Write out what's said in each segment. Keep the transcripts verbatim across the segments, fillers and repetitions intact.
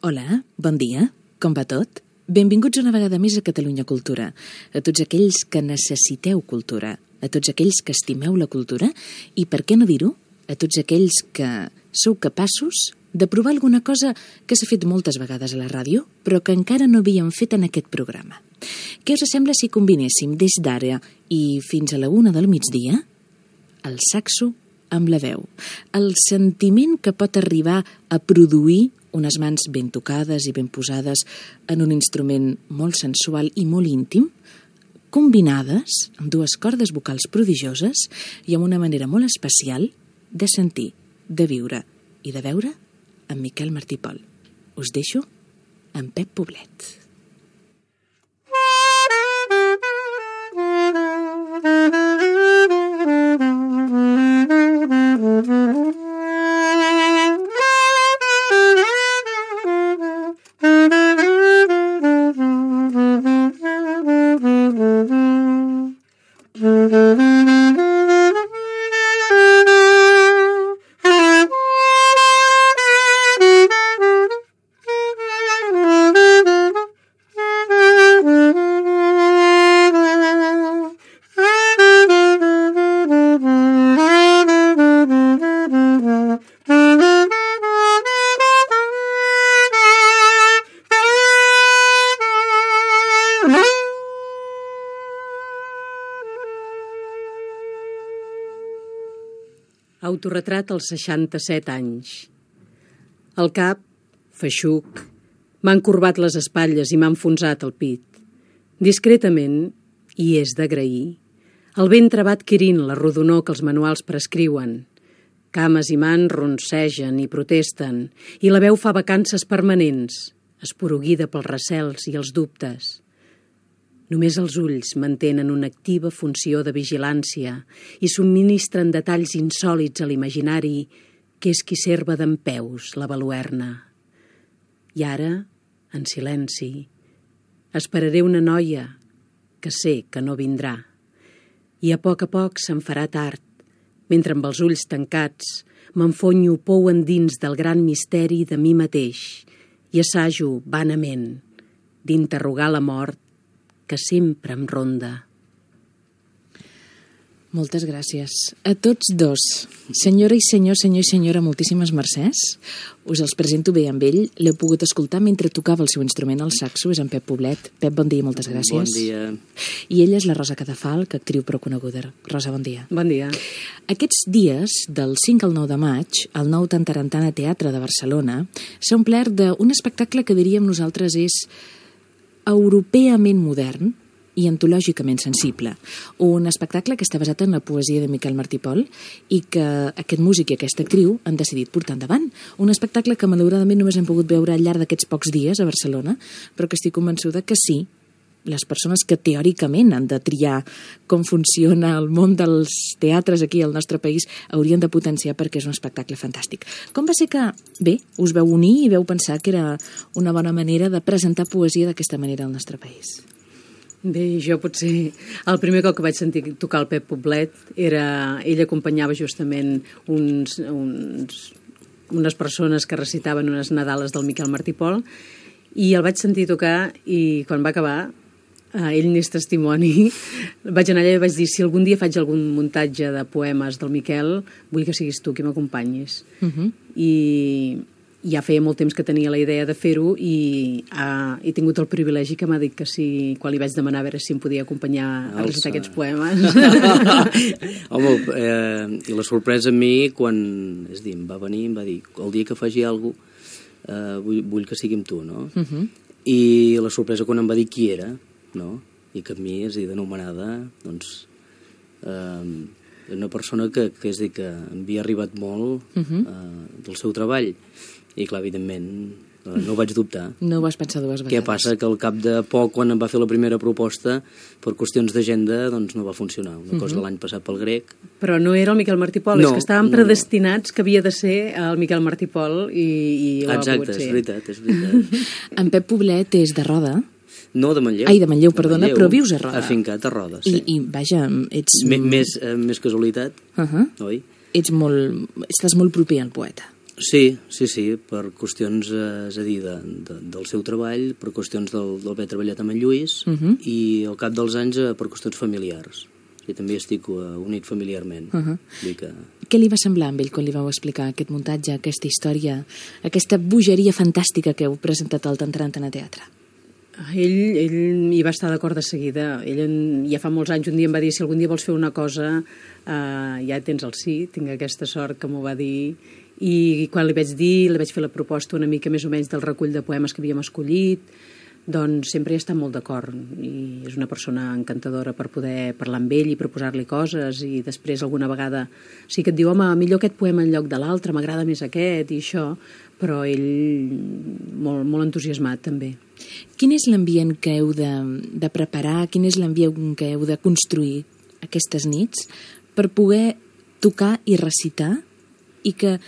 Hola, bon dia, com va tot? Benvinguts una vegada més a Catalunya Cultura, a tots aquells que necessiteu cultura, a tots aquells que estimeu la cultura i, per què no dir-ho, a tots aquells que sou capaços de provar alguna cosa que s'ha fet moltes vegades a la ràdio, però que encara no havíem fet en aquest programa. Què us sembla si combinéssim des d'ara i fins a la una del migdia el saxo amb la veu, el sentiment que pot arribar a produir unes mans ben tocades i ben posades en un instrument molt sensual i molt íntim, combinades amb dues cordes vocals prodigioses i amb una manera molt especial de sentir, de viure i de veure amb Miquel Martí i Pol. Us deixo amb Pep Poblet. Autoretrat als seixanta-set anys. El cap, feixuc, m'ha encorbat les espatlles i m'ha enfonsat el pit. Discretament, i és d'agrair, el ventre va adquirint la rodonor que els manuals prescriuen. Cames i mans roncegen i protesten, i la veu fa vacances permanents, esporuguida pels recels i els dubtes. Només els ulls mantenen una activa funció de vigilància i subministren detalls insòlits a l'imaginari que és qui serva dempeus la baluerna. I ara, en silenci, esperaré una noia que sé que no vindrà. I a poc a poc se'n farà tard, mentre amb els ulls tancats m'enfonyo pou endins del gran misteri de mi mateix i assajo vanament d'interrogar la mort que sempre em ronda. Moltes gràcies a tots dos. Senyora i senyor, senyor i senyora, moltíssimes mercès. Us els presento bé amb ell. L'heu pogut escoltar mentre tocava el seu instrument, el saxo, és en Pep Poblet. Pep, bon dia i moltes gràcies. Bon dia. I ella és la Rosa Cadafalch, actriu prou coneguda. Rosa, bon dia. Bon dia. Aquests dies, del cinc al nou de maig, al Nou Tantarantana Teatre de Barcelona, s'ha omplert d'un espectacle que diríem nosaltres és europeament modern i antològicament sensible. Un espectacle que està basat en la poesia de Miquel Martí i Pol i que aquest músic i aquesta actriu han decidit portar endavant. Un espectacle que malauradament només hem pogut veure al llarg d'aquests pocs dies a Barcelona, però que estic convençuda que sí, les persones que teòricament han de triar com funciona el món dels teatres aquí al nostre país haurien de potenciar perquè és un espectacle fantàstic. Com va ser que, bé, us veu unir i veu pensar que era una bona manera de presentar poesia d'aquesta manera al nostre país? Bé, jo potser el primer cop que vaig sentir tocar el Pep Poblet era... ell acompanyava justament uns, uns, unes persones que recitaven unes nadales del Miquel Martí i Pol i el vaig sentir tocar i quan va acabar Uh, ell n'és testimoni, vaig anar allà i vaig dir si algun dia faig algun muntatge de poemes del Miquel, vull que siguis tu qui m'acompanyis. Uh -huh. I ja feia molt temps que tenia la idea de fer-ho i uh, he tingut el privilegi que m'ha dit que sí, quan li vaig demanar a veure si em podia acompanyar a recitar aquests poemes. Home, eh, i la sorpresa a mi quan, és dir, em va venir i em va dir el dia que faci alguna cosa eh, vull, vull que sigui amb tu, no? Uh -huh. I la sorpresa quan em va dir qui era, no? I que a mi, és a dir, d'anomenada, doncs, eh, una persona que, que és dir, que havia arribat molt uh-huh. eh, del seu treball. I, clar, evidentment, eh, no ho vaig dubtar. No ho vas pensar dues vegades. Què passa? Que al cap de poc, quan em va fer la primera proposta, per qüestions d'agenda, doncs no va funcionar. Una uh-huh. cosa de l'any passat pel grec. Però no era el Miquel Martí i Pol, no, és que estàvem no, predestinats no. que havia de ser el Miquel Martí i Pol i, i ho Exacte, ha pogut ser. és veritat, és veritat. En Pep Poblet és de Roda. No, de Manlleu. Ai, de Manlleu, perdona, de Manlleu, però vius a Roda. Afincat a Roda, sí. I, i vaja, ets... M més, eh, més casualitat, uh -huh. oi? Ets molt... Estàs molt proper al poeta. Sí, sí, sí, per qüestions, eh, és a dir, de, de, del seu treball, per qüestions del- d'haver treballat amb en Lluís, Uh -huh. i al cap dels anys eh, per qüestions familiars. I també estic uh, unit familiarment. Uh -huh. Vull dir que... Què li va semblar amb ell quan li vau explicar aquest muntatge, aquesta història, aquesta bogeria fantàstica que heu presentat al Tantarantana Teatre? Ell, ell hi va estar d'acord de seguida. Ell en, ja fa molts anys un dia em va dir si algun dia vols fer una cosa eh, ja tens el sí, tinc aquesta sort que m'ho va dir, i quan li vaig dir, li vaig fer la proposta una mica més o menys del recull de poemes que havíem escollit, doncs sempre hi està molt d'acord, i és una persona encantadora per poder parlar amb ell i proposar-li coses, i després alguna vegada sí que et diu, home, millor aquest poema en lloc de l'altre, m'agrada més aquest i això, però ell molt, molt entusiasmat també. Quin és l'ambient que heu de, de preparar, quin és l'ambient que heu de construir aquestes nits per poder tocar i recitar i que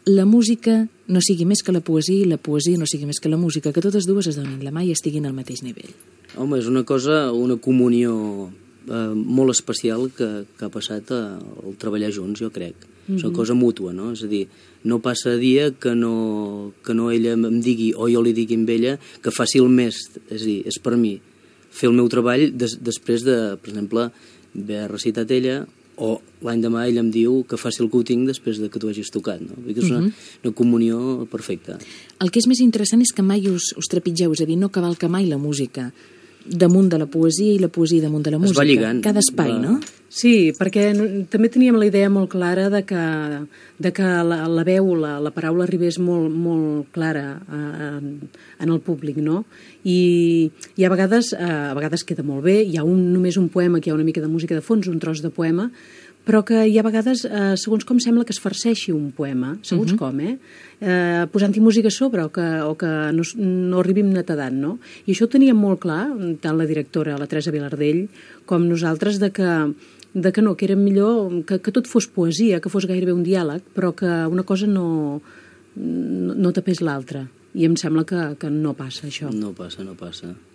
la música no sigui més que la poesia i la poesia no sigui més que la música, que totes dues es donin la mà i estiguin al mateix nivell? Home, és una cosa, una comunió eh, molt especial que, que ha passat a, al treballar junts, jo crec. Mm-hmm. És una cosa mútua, no? És a dir, no passa dia que no, que no ella em digui o jo li digui a ella que faci el més, és a dir, és per mi fer el meu treball des, després de, per exemple, haver recitat ella, o l'any demà ella em diu que faci el que ho tinc després de que tu hagis tocat, no? Vull dir que és una, Mhm. una comunió perfecta. El que és més interessant és que mai us, us trepitgeu, és a dir, no cavalca mai la música damunt de la poesia i la poesia damunt de la Es música. va lligant. Cada espai, Va- no? Sí, perquè no- també teníem la idea molt clara de que, de que la, la veu, la, la paraula arribés molt, molt clara eh, en, en el públic, no? I, i a vegades eh, a vegades queda molt bé, hi ha un, només un poema que hi ha una mica de música de fons, un tros de poema, però que hi ha vegades, eh, segons com sembla que es farceixi un poema, segons uh-huh. com, eh? eh posant-hi música a sobre o que, o que no, s- no arribim netedant, no? I això ho teníem molt clar, tant la directora, la Teresa Vilardell, com nosaltres, de que, de que no, que era millor que, que tot fos poesia, que fos gairebé un diàleg, però que una cosa no, no, no tapés l'altra. I em sembla que, que no passa això. No passa, no passa.